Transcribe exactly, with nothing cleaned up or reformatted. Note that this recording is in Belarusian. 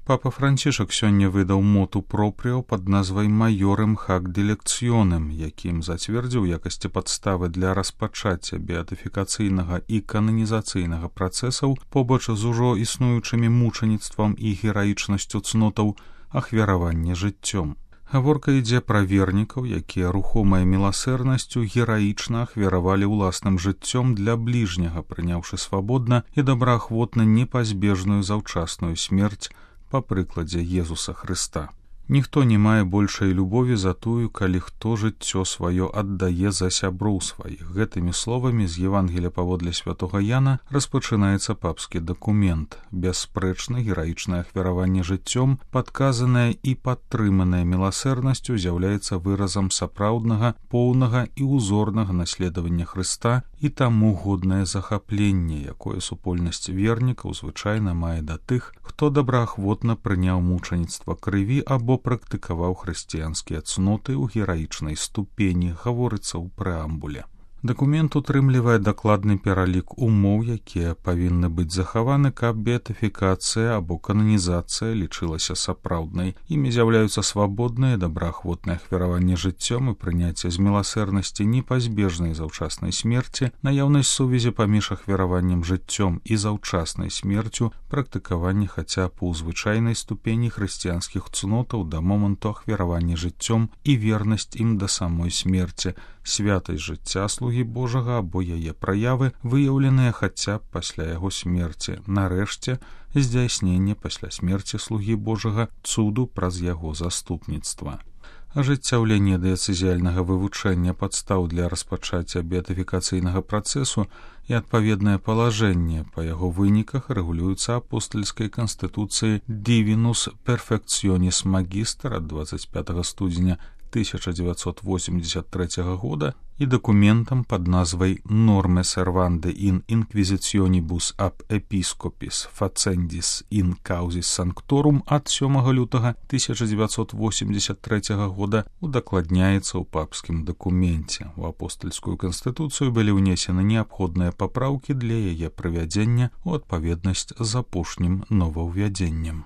Папа Францішак сёння выдаў моту пропріо пад назвай «Майорем хак дилекціонем», якім зацвердзіў якасці падставы для распачацця беатыфікацыйнага і кананізацыйнага працэсаў побач з ужо існуючымі мучаніцтвам і гераічнасцю цнотаў ахвяравання жыццём. Гаворка ідзе пра вернікаў, якія рухомай міласэрнасцю гераічна ахвяравалі ўласным жыццём для бліжняга, прыняўшы свабодна і добраахвотна непазбежную заўчасную смерць па прыкладзе Езуса Хрыста. Ніхто не мае большай любові за тую, калі хто жыццё сваё аддае за сяброў сваіх. Гэтымі словамі з Евангелія паводле святога Яна распачынаецца папскі дакумент. Бясспрэчна гераічнае ахвяраванне жыццём, падказанае і падтрыманае міласэрнасцю, з'яўляецца выразам сапраўднага, поўнага і ўзорнага наследавання Хрыста і таму годнае захапленне, якое супольнасць вернікаў звычайна мае да тых, хто добраахвотна прыняў мучаніцтва крыві або практыкаваў хрысціянскія цноты ў гераічнай ступені, гаворыцца ў прэамбуле. Дакумент утрымлівае дакладны пералік умоў, якія павінны быць захаваны, каб беатыфікацыя або кананізацыя лічылася сапраўднай. Імі з'яўляюцца свабоднае, добраахвотнае ахвяраванне жыццём і прыняцце з міласэрнасці непазбежнай заўчаснай смерці, наяўнасць сувязі паміж ахвяраваннем жыццём і заўчаснай смерцю, практыкаванне хаця б у звычайнай ступені хрысціянскіх цнотаў да моманту ахвяравання жыццём і вернасць ім да самой смерці, святасць жыцця слугі Божага або яе праявы, выяўленыя хаця б пасля яго смерці. Нарэшце, здзяйсненне пасля смерці слугі Божага цуду праз яго заступніцтва. Ажыццяўленне дыяцэзіяльнага вывучэння падстаў для распачацця беатыфікацыйнага працэсу і адпаведнае палажэнне па яго выніках рэгулююцца апостальскай канстытуцыяй «Divinus Perfectionis Magister» ад дваццаць пятага студзеня тысяча дзевяцьсот восемьдесят трэцяга года і дакументам пад назвай «Norme servande in inquisitionibus ab episcopis facendis in causis sanctorum» ад сёмага лютага тысяча дзевяцьсот восемьдесят трэцяга года удакладняецца ў папскім дакуменце. У апостальскую канстытуцыю былі ўнесены неабходныя папраўкі для яе прывядзення ў адпаведнасць з апошнім новаўвядзеннем.